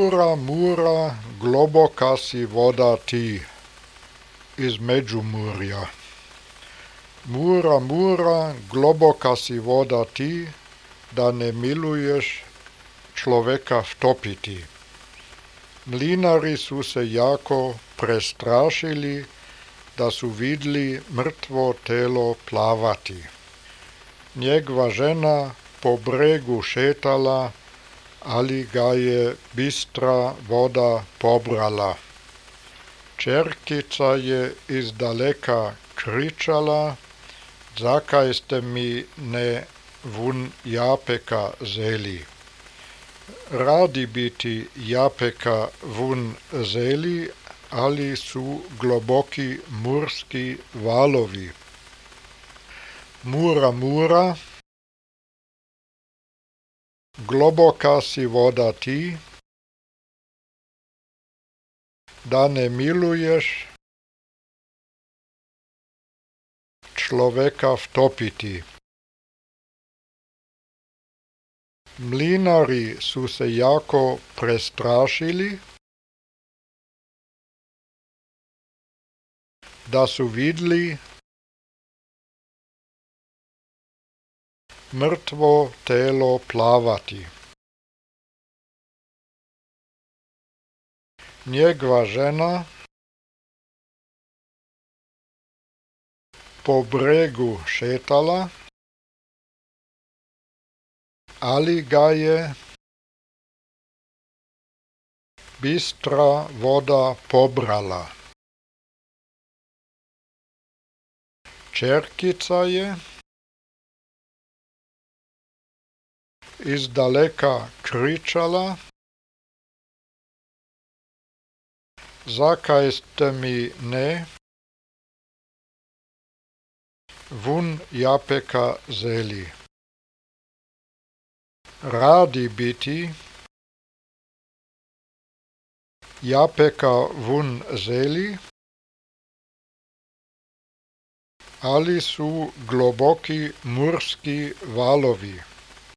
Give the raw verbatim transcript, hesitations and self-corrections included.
Mura, Mura, globoka si voda ti iz Međimurja. Mura, Mura, globoka si voda ti, da ne miluješ človeka vtopiti. Mlinari su se jako prestrašili, da su vidli mrtvo telo plavati. Njegova žena po bregu šetala, ali ga je bistra voda pobrala. Čerkica je izdaleka kričala, zakaj ste mi ne vun japeka zeli. Radi bi ti japeka vun zeli, ali su globoki murski valovi. Mura, Mura, globoka si voda ti, da ne miluješ človeka vtopiti. Mlinari su se jako prestrašili, da su vidli mrtvo telo plavati. Njegova žena po bregu šetala, ali ga je bistra voda pobrala. Čerkica je izdaleka kričala, zakaj ste mi ne vun japeka zeli. Radi bi ti japeka vun zeli, ali su globoki murski valovi.